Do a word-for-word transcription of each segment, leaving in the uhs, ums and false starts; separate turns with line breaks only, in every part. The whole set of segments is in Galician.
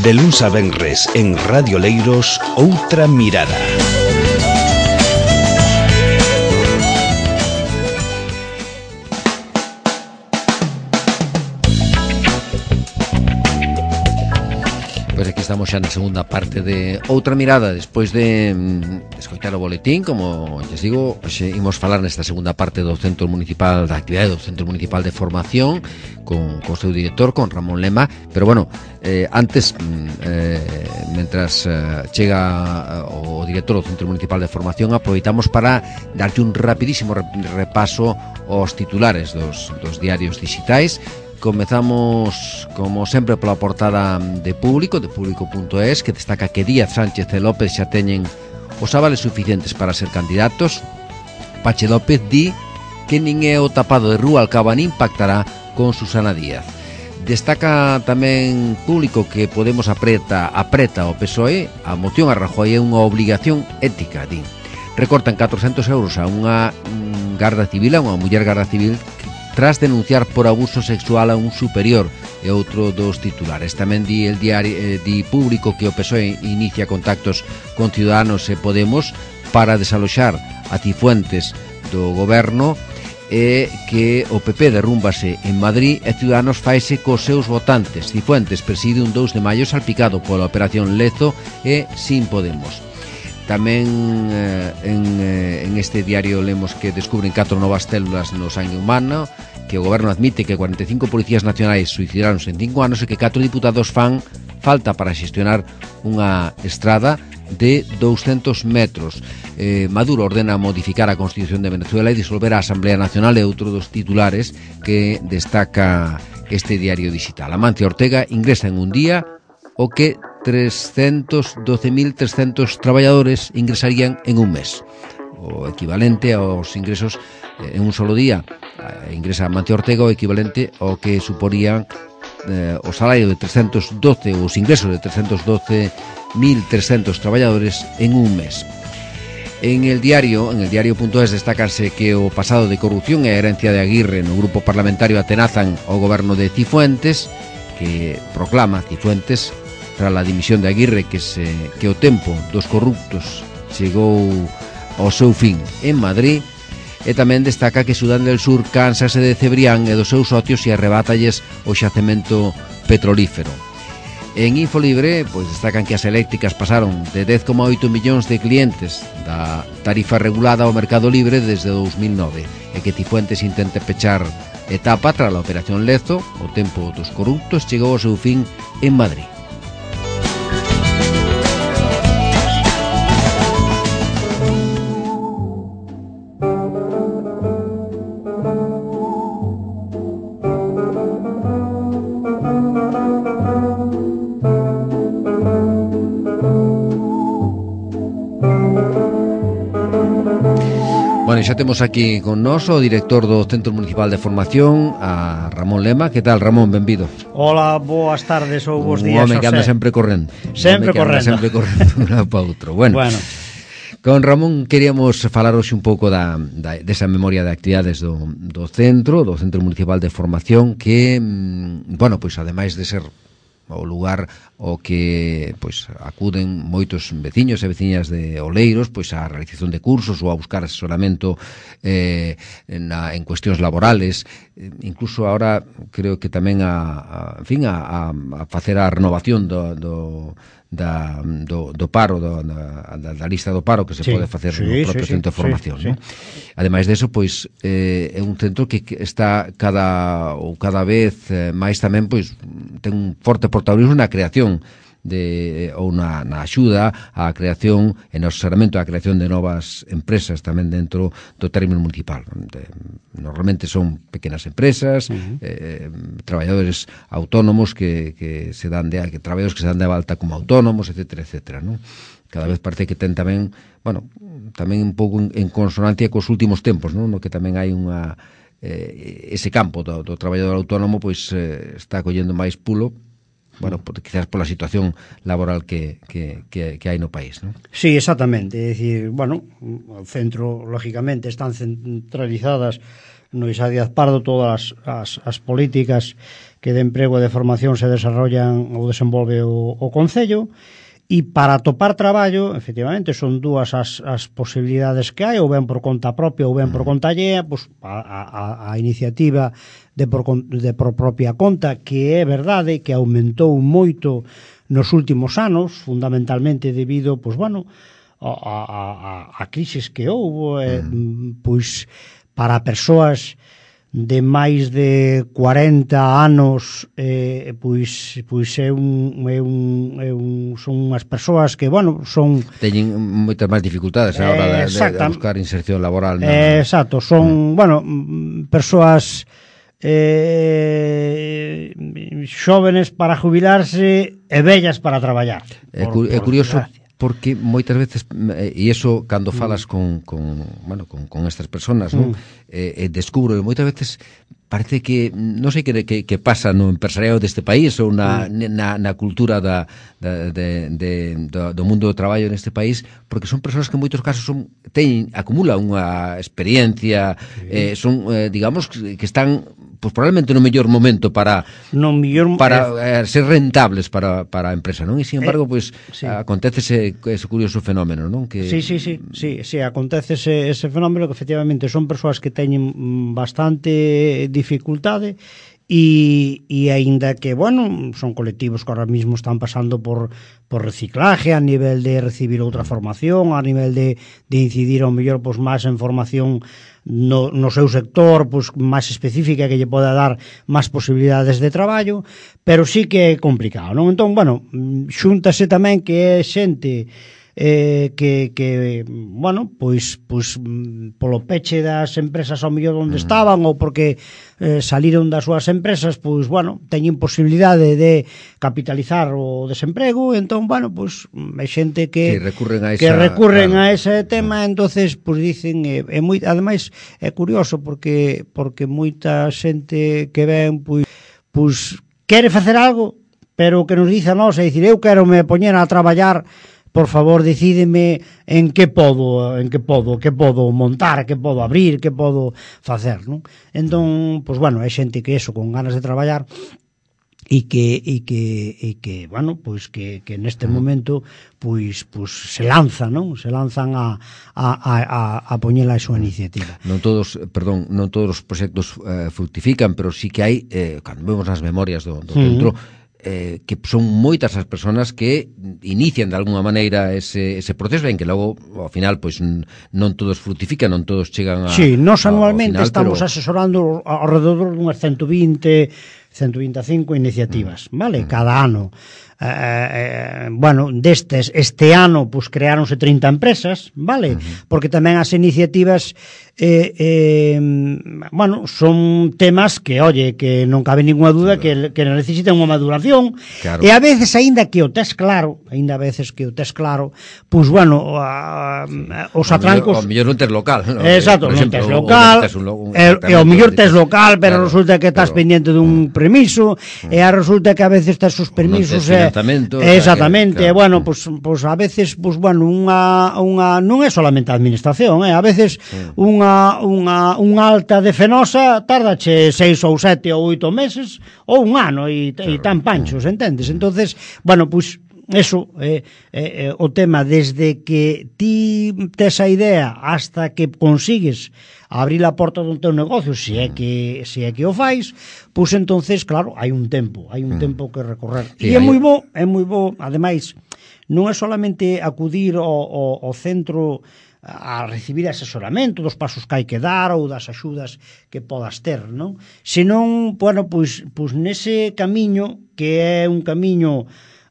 De luns a venres en Radio Leiros, Outra Mirada.
Pois aquí estamos xa na segunda parte de Outra Mirada. Despois de mm, escoitar o boletín, como lles digo, xe imos falar nesta segunda parte do Centro Municipal da Actividade do Centro Municipal de Formación con, con o seu director, con Ramón Lema. Pero bueno, eh, antes eh, mentras eh, chega o director do Centro Municipal de Formación, aproveitamos para darlle un rapidísimo repaso aos titulares dos, dos diarios digitais. Comezamos, como sempre, pola portada de Público, de público punto es, que destaca que Díaz, Sánchez e López xa teñen os avales suficientes para ser candidatos. Pache López di que nin é o tapado de Rúa Alcaba nin pactará con Susana Díaz. Destaca tamén Público que Podemos apreta, apreta o P S O E, a moción a Rajoy é unha obligación ética, din. Recortan catrocentos euros a unha mm, garda civil, a unha muller garda civil, tras denunciar por abuso sexual a un superior, e outro dos titulares. Tamén di el diario eh, di Público que o P S O E inicia contactos con Ciudadanos e Podemos para desaloxar a Cifuentes do goberno, e que o P P derrúmbase en Madrid e Ciudadanos faise cos seus votantes. Cifuentes preside un dous de maio salpicado pola operación Lezo e sin Podemos. Tamén eh, en, eh, en este diario lemos que descubren catro novas células no sangue humano, que o goberno admite que cuarenta e cinco policías nacionais suicidaronse en cinco anos e que catro diputados fan falta para xestionar unha estrada de douscentos metros. Eh, Maduro ordena modificar a Constitución de Venezuela e disolver a Asamblea Nacional, e outro dos titulares que destaca este diario digital. Amancio Ortega ingresa en un día o que trescentos doce mil trescentos traballadores ingresarían en un mes, o equivalente aos ingresos en un solo día. Ingresa Amancio Ortega o equivalente ao que suporían eh, o salario de trescentos doce, os ingresos de trescentos doce mil trescentos traballadores en un mes. En el diario, en el diario punto es, destacanse que o pasado de corrupción e a herencia de Aguirre no grupo parlamentario atenazan ao goberno de Cifuentes, que proclama Cifuentes tras a dimisión de Aguirre que, se, que o tempo dos corruptos chegou ao seu fin en Madrid. E tamén destaca que Sudán del Sur cánsase de Cebrián e dos seus socios e arrebátalles o xacemento petrolífero. En Infolibre, pois destacan que as eléctricas pasaron de dez coma oito millóns de clientes da tarifa regulada ao mercado libre desde dous mil nove, e que Cifuentes intente pechar etapa tras a operación Lezo. O tempo dos corruptos chegou ao seu fin en Madrid. Bueno, xa temos aquí con nós o director do Centro Municipal de Formación, a Ramón Lema. Que tal, Ramón? Benvido.
Hola, boas tardes ou bons días,
Un home que anda sempre correndo.
Sempre correndo.
Sempre correndo de un lado para outro. Bueno, bueno, con Ramón queríamos falar hoxe un pouco da, da, desa memoria de actividades do, do centro, do Centro Municipal de Formación, que, bueno, pois ademais de ser o lugar o que pois acuden moitos veciños e veciñas de Oleiros pois a realización de cursos ou a buscar asesoramento eh, na, en cuestións laborales, eh, incluso ahora creo que tamén a, a en fin a, a, a facer a renovación do, do Da, do, do paro do, da, da lista do paro que se sí, pode facer sí, no propio sí, centro de formación, sí, ¿no? Sí. Ademais deso, pois eh, é un centro que está cada ou cada vez eh, máis tamén pois ten un forte protagonismo na creación de ou na, na axuda á creación e no asesoramento á creación de novas empresas tamén dentro do término municipal. De, normalmente son pequenas empresas, uh-huh. eh, traballadores autónomos que, que se dan de que traballadores que se dan de alta como autónomos, etcétera, etcétera, ¿no? Cada vez parece que ten tamén, bueno, tamén un pouco en, en consonancia cos últimos tempos, ¿no? No que tamén hai unha eh, ese campo do, do traballador autónomo pois eh, está collendo máis pulo. Bueno, quizás pola situación laboral que, que, que, que hai no país, ¿no?
Sí, exactamente. É dicir, bueno, o centro, lógicamente, están centralizadas no Isa Díaz Pardo todas as, as políticas que de emprego e de formación se desarrollan ou desenvolve o, o Concello. E para topar traballo, efectivamente, son dúas as, as posibilidades que hai, ou ben por conta propia ou ben por conta allea, pues, a, a, a iniciativa de por, de por propia conta, que é verdade que aumentou moito nos últimos anos, fundamentalmente debido, pues, bueno, a, a, a, a crisis que houve, eh, pois para persoas de máis de cuarenta anos, eh, pois pois é un, é un, é un son unhas persoas que, bueno, son
teñen moitas máis dificultades a hora de, de, de buscar inserción laboral, ¿no?
Eh, exacto, son, mm. bueno, persoas eh, xóvenes para jubilarse e vellas para traballar.
É, por, é curioso desgracia. Porque moitas veces, e iso cando falas mm. con, con, bueno, con, con estas personas, mm. non? Eh, eh, descubro que moitas veces parece que, non sei que, que, que pasa no empresariado deste país ou na, mm. na, na cultura da, da, de, de, do, do mundo do traballo neste país, porque son persoas que en moitos casos son, teñen, acumulan unha experiencia, mm. eh, son, eh, digamos, que están pues probablemente no mellor momento para
no mellor,
para eh, ser rentables para, para a empresa, non? E, sin embargo, eh, pois, sí. acontece ese, ese curioso fenómeno, non? Que...
Sí, sí, sí, sí, sí, acontece ese, ese fenómeno que efectivamente son persoas que teñen bastante dificultade e, e aínda que, bueno, son colectivos que ahora mismo están pasando por, por reciclaje a nivel de recibir outra formación, a nivel de, de incidir ao mellor pois, máis en formación no, no seu sector pois, máis específica que lle poda dar máis posibilidades de traballo, pero sí que é complicado, non? Entón, bueno, xúntase tamén que é xente eh, que, que, bueno, pois, pois polo peche das empresas ao mellor onde estaban ou porque eh, saliron das súas empresas, pois, bueno, teñen posibilidade de capitalizar o desemprego, entón, bueno, pois, é xente que,
que recurren a, esa,
que recurren
claro.
a ese tema, entonces, pois, dicen, é, é moi, ademais, é curioso porque porque moita xente que ven, pois, pois quere facer algo, pero o que nos dice a nós é dicir, eu quero me poñer a traballar, por favor, decídeme en que podo, en que podo, que podo montar, que podo abrir, que podo facer, non? Entón, pois bueno, é xente que eso, con ganas de traballar e que e que e que, bueno, pois que que neste momento pois pois se lanzan, non? Se lanzan a a a a poñer a súa iniciativa.
Non todos, perdón, non todos os proxectos eh, fructifican, pero sí que hai eh, cando vemos as memorias do, do centro, mm. Eh, que son moitas as persoas que inician de alguna maneira ese, ese proceso, en que logo, ao final, pois non todos fructifican, non todos chegan a...
Sí, nós anualmente
final,
estamos
pero...
asesorando alrededor dunhas ciento vinte, ciento vinte e cinco iniciativas, mm. vale? Mm. Cada ano. Eh, eh, bueno, destes, este ano, pois creáronse trinta empresas, vale? Mm-hmm. Porque tamén as iniciativas eh, eh, bueno, son temas que, oye, que non cabe ninguna duda que, que necesitan unha maduración, claro. E a veces, aínda que o tes claro, aínda a veces que o tes claro, pois, bueno, a, a, os atrancos...
O mellor non tes local, ¿no?
Exacto, non tes local, e o mellor tes local, pero claro, resulta que estás pero... pendiente dun mm. permiso, mm. e a resulta que a veces tes os permisos...
Non tes financiamento...
Exactamente, claro. E, bueno, pois, pois a veces, pois, bueno, unha, unha non é solamente a administración, eh? A veces mm. unha unha, unha alta de Fenosa tardache seis ou sete ou oito meses ou un ano e, claro. E tan panchos, entendes? Entonces, bueno, pois eso é eh, eh, o tema, desde que ti tes a idea hasta que consigues abrir a porta do teu negocio, se é que se é que o fais, pois entonces, claro, hai un tempo, hai un mm. tempo que recorrer. Sí, e é hai... moi bo, é moi bo, ademais, non é solamente acudir ao, ao, ao centro a recibir asesoramento dos pasos que hai que dar ou das axudas que podas ter, non? Senón, bueno, pois, pois nese camiño, que é un camiño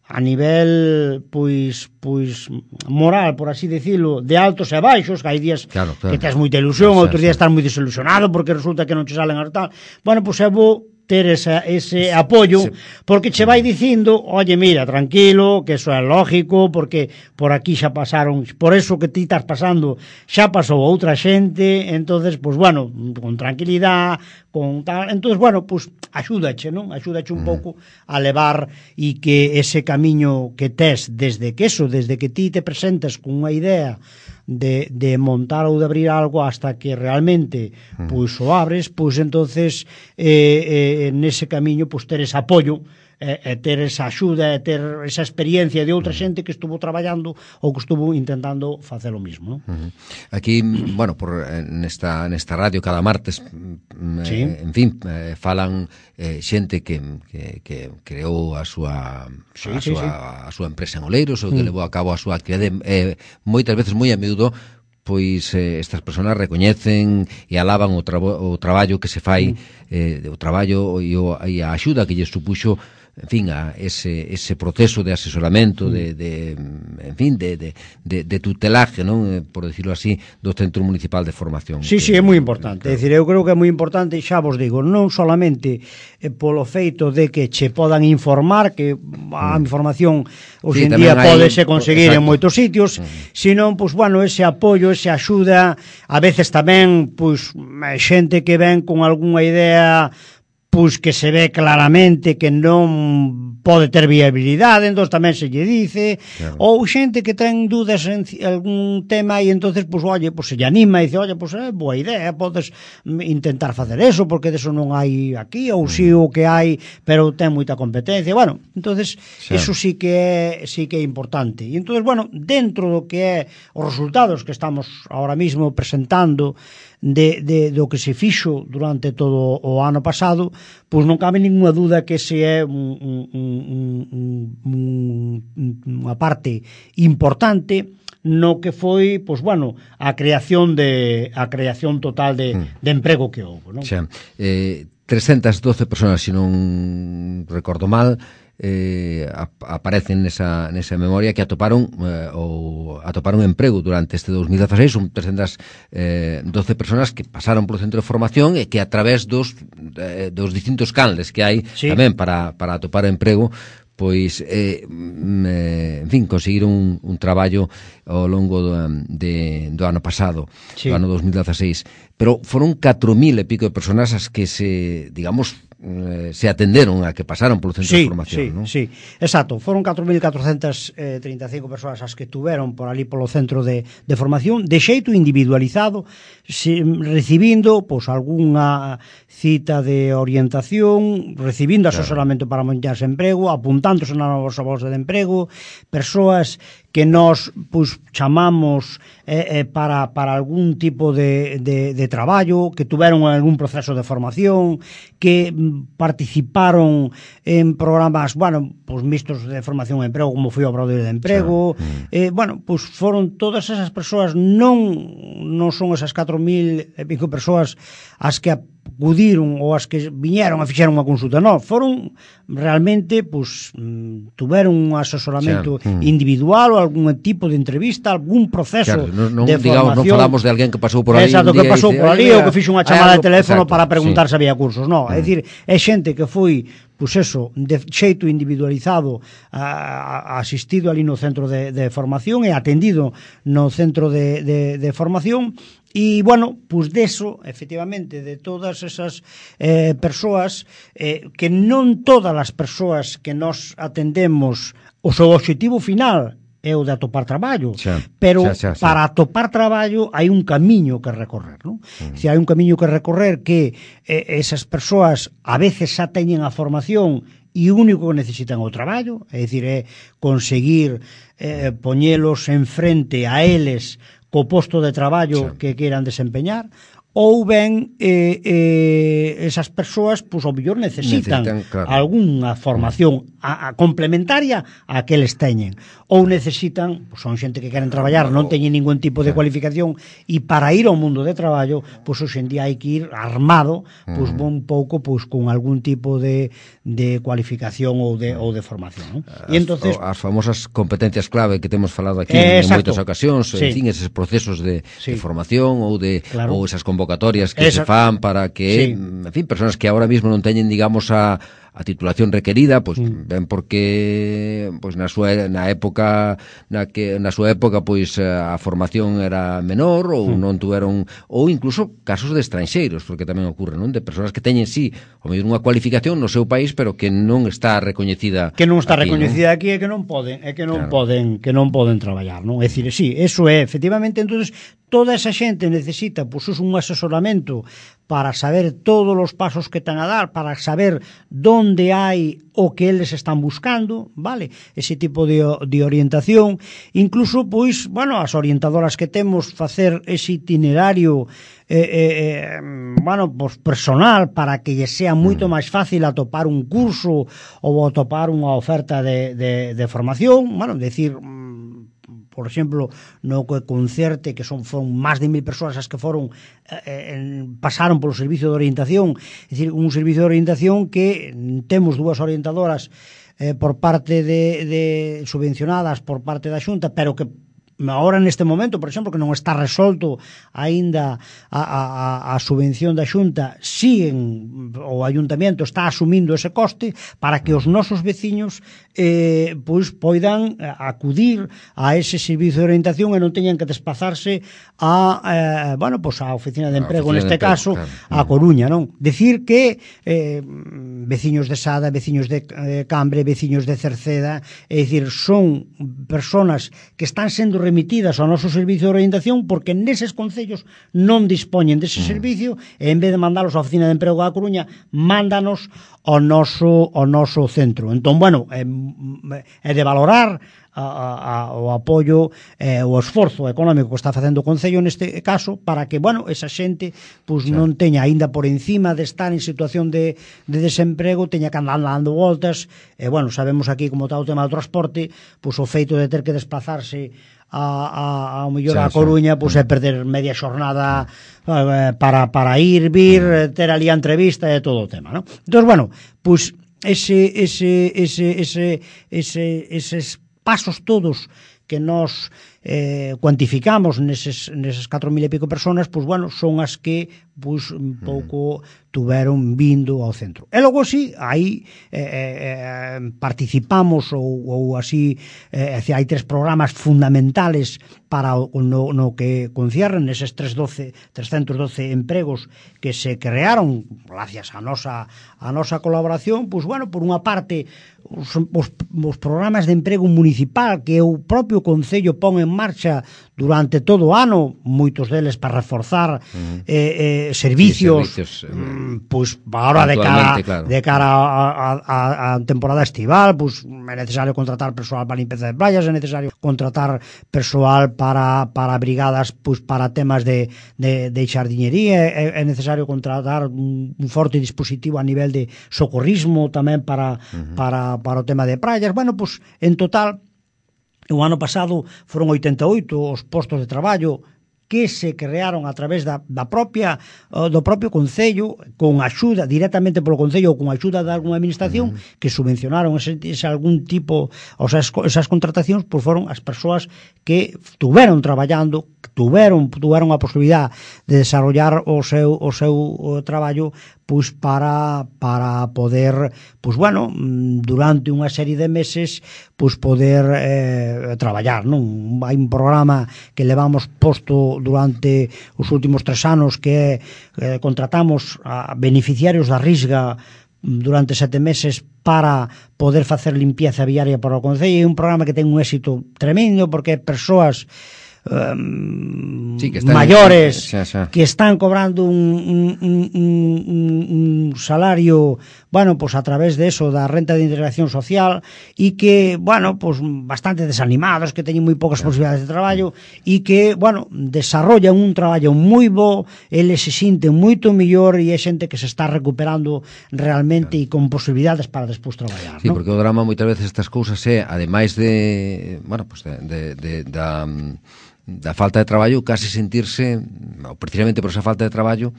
a nivel, pois, pois moral, por así decirlo, de altos e baixos, que hai días claro, claro. que tes moita ilusión, outros días estás moi desilusionado porque resulta que non che salen as tal. Bueno, pois é bo ter esa, ese apoio, sí. Porque che vai dicindo, oye, mira, tranquilo, que eso é lógico, porque por aquí xa pasaron, por eso que ti estás pasando, xa pasou outra xente, entonces, pues bueno, con tranquilidade, con tal, entonces, bueno, pues axúdache, non? Axúdache un mm. pouco a levar e que ese camiño que tes desde que eso, desde que ti te presentas con unha idea de, de montar ou de abrir algo hasta que realmente pois o abres, pois entonces eh, eh, nese camiño pois ter ese apoio e, e ter esa axuda e ter esa experiencia de outra xente que estuvo traballando ou que estuvo intentando facer o mismo, ¿no?
Uh-huh. Aquí, bueno, por nesta nesta radio cada martes,
sí.
eh, en fin, eh, falan eh, xente que, que, que creou a súa
sí,
a
sí,
súa
sí.
a súa empresa en Oleiros ou que mm. levou a cabo a súa actividade, eh, moitas veces moi a miúdo, pois eh, estas persoas recoñecen e alaban o, trabo, o traballo que se fai, mm. eh, o traballo e, o, e a axuda que lle supuxo, en fin, a ese, ese proceso de asesoramento, de, de en fin, de, de, de, de tutelaje, non, por decirlo así, do Centro Municipal de Formación.
Sí,
que,
sí, é moi importante. É dicir, eu creo que é moi importante, xa vos digo, non solamente eh, polo feito de que che podan informar, que a información hoxe
sí,
en día pódese
hai,
conseguir
exacto.
en moitos sitios, mm. sino, pois, bueno, ese apoio, ese axuda, a veces tamén, pois, xente que ven con algunha idea pois que se ve claramente que non pode ter viabilidade, entón tamén se lle dice, claro. Ou xente que ten dúdas en algún tema e entonces, pois, oye, pois se lle anima e dice, oye, pois é boa idea, podes intentar facer eso, porque deso non hai aquí, ou si o que hai, pero ten moita competencia, bueno, entonces, sí. Eso sí que é, sí que é importante. E entonces, bueno, dentro do que é os resultados que estamos ahora mismo presentando, De, de, do que se fixo durante todo o ano pasado, pois non cabe ninguna dúda que ese é un, un, un, un, unha parte importante no que foi, pois bueno, a creación de a creación total de, mm. de emprego que houve, non?
Xa, eh, trescentas doce persoas, se non recordo mal, eh, aparecen nesa, nesa memoria que atoparon eh, ou atoparon emprego durante este dos mil dieciséis. Son trescentas doce personas que pasaron polo centro de formación e que a través dos, eh, dos distintos canles que hai, sí. Tamén para, para atopar emprego, pois, eh, en fin, conseguiron un, un traballo ao longo do, de, do ano pasado, sí. Do ano dos mil dieciséis. Pero foron catro mil e pico de personas as que se, digamos, se atenderon a que pasaron polo centro
sí,
de formación,
sí,
non?
Sí, exacto, foron catro mil catrocentas trinta e cinco persoas as que tuveron por ali polo centro de, de formación, de xeito individualizado, se, recibindo pois algunha cita de orientación, recibindo claro. Asesoramento para montarse emprego, apuntándose na nosa bolsa de emprego, persoas que nós pois, chamamos eh, eh, para, para algún tipo de, de, de traballo, que tuveron algún proceso de formación, que participaron en programas, bueno, pois mixtos de formación e emprego, como foi o Obradoiro de Emprego, sí. eh, bueno, pois foron todas esas persoas, non, non son esas catro mil e pico persoas as que acudiron ou as que viñeron a fixeron unha consulta, non, foron realmente, pois, tuveron un asesoramento sí. individual ou algún tipo de entrevista, algún proceso claro, non, non,
de
digamos,
formación. Non falamos de alguén que pasou por ali.
Exacto, que pasou por ali ou que fixo unha chamada de teléfono
exacto,
para preguntar
sí.
se había cursos, non, é dicir, é xente que foi pois eso, de xeito individualizado a, a, asistido ali no centro de, de formación e atendido no centro de, de, de formación. E, bueno, pois deso, efectivamente, de todas esas eh, persoas, eh, que non todas as persoas que nos atendemos, o seu objetivo final é o de atopar traballo, xa, pero xa, xa, xa. Para atopar traballo hai un camiño que recorrer, non? Uh-huh. Si hai un camiño que recorrer que eh, esas persoas a veces xa teñen a formación e o único que necesitan o traballo, é dicir, é conseguir eh, poñelos en frente a eles co posto de traballo sí. que queiran desempeñar, ou ben eh, eh, esas persoas, pois, ao mellor necesitan, necesitan claro. Algunha formación a, a complementaria a que eles teñen, ou necesitan, pois, son xente que queren traballar, non teñen ningún tipo de cualificación, e para ir ao mundo de traballo, pois, hoxe en día hai que ir armado, pois, un pouco, pois, con algún tipo de, de cualificación ou de, ou de formación, non?
E entonces as famosas competencias clave que temos falado aquí eh, en moitas ocasións, sí. En fin, eses procesos de, sí. de formación ou de claro. Ou esas convocatorias que Esa... se fan para que, sí. En fin, persoas que ahora mismo non teñen, digamos, a a titulación requerida, pois
Mm.
ben porque pois na súa na época na que na súa época pois a formación era menor ou
Mm.
non tuveron, ou incluso casos de estranxeiros, porque tamén ocurre, non? De persoas que teñen sí, o mellor unha cualificación no seu país, pero que non está recoñecida
que non está
aquí,
recoñecida non? Aquí e que non poden, é que non
Claro.
poden, que non poden traballar, non? É dicir, sí, eso é, efectivamente, entonces toda esa xente necesita pois pues, un asesoramento para saber todos os pasos que ten a dar, para saber donde hai o que eles están buscando, vale? Ese tipo de, de orientación, incluso, pois, bueno, as orientadoras que temos facer ese itinerario eh, eh, bueno, pues personal para que lle sea moito máis fácil atopar un curso ou atopar unha oferta de, de, de formación, bueno, decir, por exemplo, no que concerte, que son foron máis de mil persoas as que foron eh, en, pasaron polo servicio de orientación, é dicir, un servicio de orientación que temos dúas orientadoras eh, por parte de, de subvencionadas por parte da Xunta, pero que agora neste momento, por exemplo, que non está resolto aínda a, a, a subvención da Xunta, siguen, o Ayuntamento está asumindo ese coste para que os nosos veciños eh, pois poidan acudir a ese servicio de orientación e non teñan que desplazarse a, eh, bueno, pois a oficina de emprego, neste caso, claro, a Coruña, non? Decir que eh, veciños de Sada, veciños de eh, Cambre, veciños de Cerceda, é dicir, son personas que están sendo remitidas ao noso servicio de orientación porque neses concellos non dispoñen dese servicio e en vez de mandalos á oficina de emprego da Coruña, mándanos ao noso, ao noso centro. Entón, bueno, é, é de valorar a, a, o apoio e eh, o esforzo económico que está facendo o Concello neste caso para que, bueno, esa xente pues, sí. non teña aínda por encima de estar en situación de, de desemprego, teña que andar dando voltas e, bueno, sabemos aquí como está o tema do transporte, pues, o feito de ter que desplazarse a, a, a mellor sí, a Coruña, sí. Pues, é perder media xornada eh, para, para ir, vir, ter ali a entrevista e todo o tema, ¿no? Entón, bueno, pues ese, ese, ese, ese, ese, eses pasos todos que nos eh, cuantificamos neses, neses catro mil e pico personas, pues bueno, son as que pues, un pouco tuveron vindo ao centro. E logo sí, aí eh, eh, participamos ou, ou así, eh, hai tres programas fundamentales para o, no, no que concierne neses trescentos doce empregos que se crearon gracias a nosa, a nosa colaboración, pues bueno, por unha parte os, os, os programas de emprego municipal que o propio Concello pon en marcha durante todo o ano, moitos deles para reforzar uh-huh. eh, eh, servicios, sí, servicios mm, pues agora de cara, claro. de cara a, a, a temporada estival, pues é necesario contratar persoal para limpeza de playas, é necesario contratar persoal para, para brigadas, pues para temas de, de, de xardiñería, é, é necesario contratar un, un forte dispositivo a nivel de socorrismo tamén para, uh-huh. para, para o tema de praias. Bueno, pues en total o ano pasado foron oitenta e oito os postos de traballo que se crearon a través da, da propia do propio Concello, con axuda directamente polo Concello ou con axuda de alguna administración uh-huh. que subvencionaron ese, ese algún tipo, o sea, esas contratacións, pois foron as persoas que tuveron traballando, tuveron tuveron a posibilidad de desarrollar o seu o seu o traballo pois para para poder, pois bueno, durante unha serie de meses pois poder eh, traballar, non? Hai un programa que levamos posto durante os últimos tres anos que eh, contratamos a beneficiarios da Risga durante sete meses para poder facer limpieza viaria para o Concello. É un programa que ten un éxito tremendo porque persoas Um, sí, que están, mayores xa, xa. que están cobrando un, un, un, un, un salario, bueno, pues a través de eso, da renta de integración social e que, bueno, pues bastante desanimados, que teñen moi poucas yeah. posibilidades de traballo e que, bueno, desarrollan un traballo moi bo, eles se sinten moito mellor e é xente que se está recuperando realmente yeah. e con posibilidades para despois traballar,
sí,
¿no?
Porque o drama moitas veces estas cousas é, ademais de, bueno, pues de, de, de da da falta de traballo, case sentirse, ou precisamente por esa falta de traballo,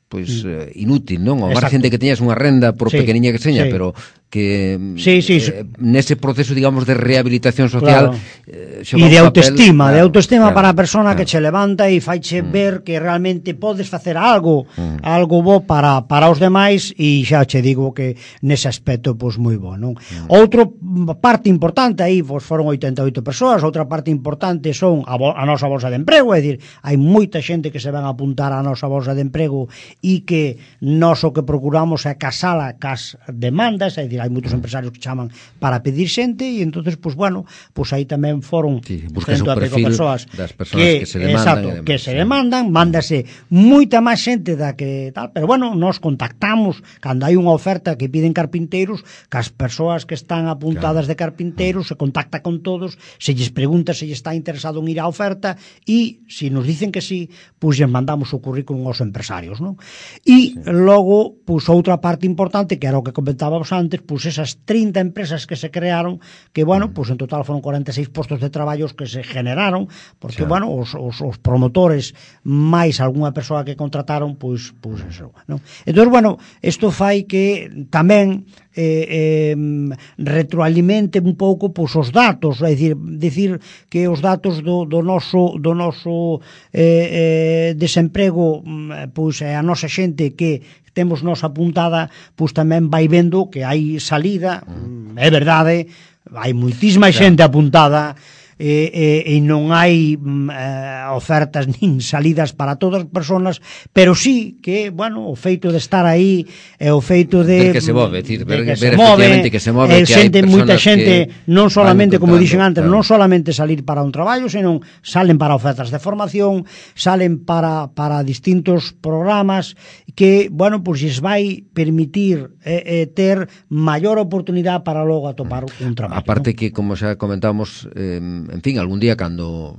pois mm. eh, inútil, non? Ou máis xente que teñas unha renda por sí, pequeniña que seña, sí. pero que
sí, sí,
eh, nese proceso, digamos, de rehabilitación social,
claro.
eh,
E de autoestima,
papel,
de autoestima
claro,
para a persona
claro.
que che levanta e faiche mm. ver que realmente podes facer algo, mm. algo bo para, para os demais, e xa che digo que nese aspecto pois moi bo, non? Mm. Outro parte importante aí, pois foron oitenta e oito persoas, outra parte importante son a, bo, a nosa bolsa de emprego, é dicir, hai moita xente que se van a apuntar á nosa bolsa de emprego e que nós o que procuramos é casala cas demandas, é dicir, hai moitos empresarios que chaman para pedir xente e entonces, pois bueno, pois aí tamén foron
sí, cento
e pico persoas
das persoas que, que se demandan,
exacto,
demás,
que se
sí.
demandan, mándase moita máis xente da que tal, pero bueno, nos contactamos cando hai unha oferta que piden carpinteiros, que as persoas que están apuntadas claro. de carpinteiros se contacta con todos, se lles pregunta se lles está interesado en ir á oferta e se nos dicen que sí, pois lles mandamos o currículum aos empresarios, non? E sí. logo, pois outra parte importante que era o que comentábamos antes, pois esas trinta empresas que se crearon, que, bueno, pois en total foron cuarenta e seis postos de traballos que se generaron, porque, claro. bueno, os, os, os promotores máis algunha persoa que contrataron, pois, pois eso, non? Entón, bueno, isto fai que tamén eh, eh, retroalimente un pouco pois, os datos, é dicir, dicir que os datos do, do noso, do noso eh, eh, desemprego, pois é a nosa xente que temos nos apuntada, pois tamén vai vendo que hai salida, mm. é verdade, hai moitísima claro. xente apuntada e, e, e non hai eh, ofertas nin salidas para todas as personas, pero sí que, bueno, o feito de estar aí e o feito de
ver que se move, decir, ver,
que
ver
se
efectivamente que se move,
e
que
xente,
hai
moita
personas
xente non solamente, como dixen antes,
claro.
non solamente salir para un traballo, senón salen para ofertas de formación, salen para, para distintos programas que, bueno, pois pues, vai permitir eh, eh, ter maior oportunidade para logo atopar un traballo.
Aparte,
¿no?
que, como xa comentamos, eh, en fin, algún día cando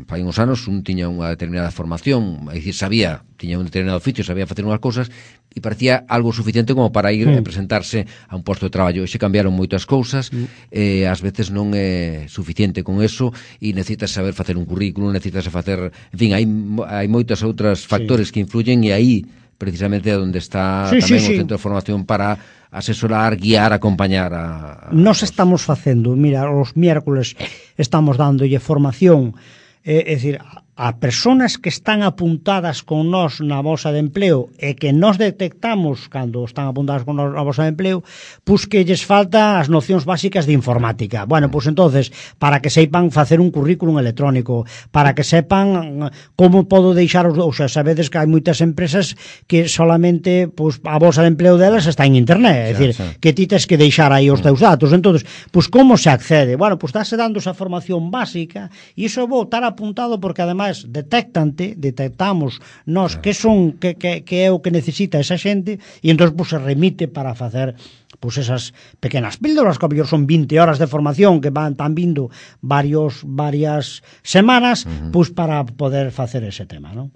fai uns anos un tiña unha determinada formación, é dicir, sabía, tiña un determinado oficio, sabía facer unhas cousas e parecía algo suficiente como para ir mm. a presentarse a un posto de traballo. E xe cambiaron moitas cousas, mm. e ás veces non é suficiente con eso e necesitas saber facer un currículum, necesitas facer, en fin, hai, hai moitos outros factores sí. que influyen, e aí precisamente onde está
sí,
tamén
sí,
o
sí.
centro de formación para asesorar, guiar, acompañar a... a
Nos
os...
estamos facendo, mira, os miércoles estamos dándolle formación, é eh, dicir, a persoas que están apuntadas con nós na bolsa de empleo e que nos detectamos cando están apuntadas con nós na bolsa de empleo, pois que lles falta as nocións básicas de informática. Bueno, pois entonces, para que seipan facer un currículum electrónico, para que sepan como podo deixar os... Ou sea, sabedes que hai moitas empresas que solamente pois, a bolsa de empleo delas está en internet, é dicir, sí, sí. que ti tes que deixar aí os teus datos. Entonces, pois como se accede? Bueno, pois dáse dando esa formación básica e iso vou estar apuntado porque ademais detectante, detectamos nós que son que, que, que é o que necesita esa xente e entón pues, se remite para facer pues, esas pequenas píldoras que a mellor son vinte horas de formación que van tan vindo varios varias semanas uh-huh. pues, para poder facer ese tema, non?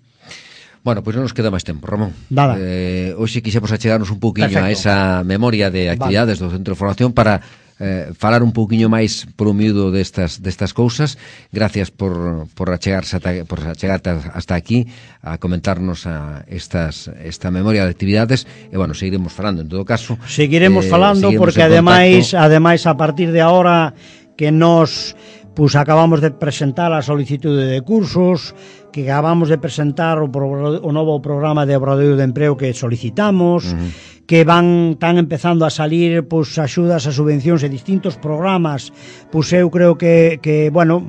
Bueno, pois pues non nos queda máis tempo, Ramón.
Nada.
Eh, hoxe quixemos achegarnos un pouquiño Perfecto. a esa memoria de actividades vale. do Centro de Formación para eh, falar un pouquiño máis polo miúdo destas destas cousas. Gracias por por achegarse ata, por achegarte hasta aquí a comentarnos a estas esta memoria de actividades e bueno, seguiremos falando en todo caso.
Seguiremos
eh,
falando
seguiremos
porque ademais ademais a partir de ahora que nos pues acabamos de presentar a solicitude de cursos, que acabamos de presentar o, pro, o novo programa de obradoiro de emprego que solicitamos, uh-huh. que van tan empezando a salir pues axudas a subvencións e distintos programas, pues eu creo que, que bueno,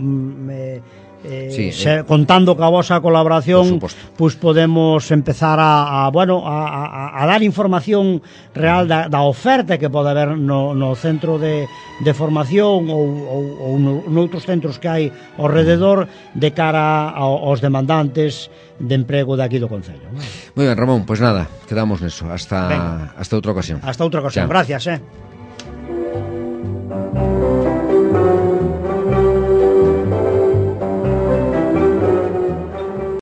eh, eh,
sí,
se,
eh,
contando ca vosa colaboración, pues podemos empezar a, a bueno, a, a, a dar información real da, da oferta que pode haber no, no centro de, de formación ou, ou, ou no, noutros centros que hai ao rededor de cara aos demandantes de emprego de aquí do Concello.
Moi ben, Ramón, pois pues nada, quedamos neso. Hasta, hasta outra ocasión.
Hasta outra ocasión.
Chao.
Gracias, eh.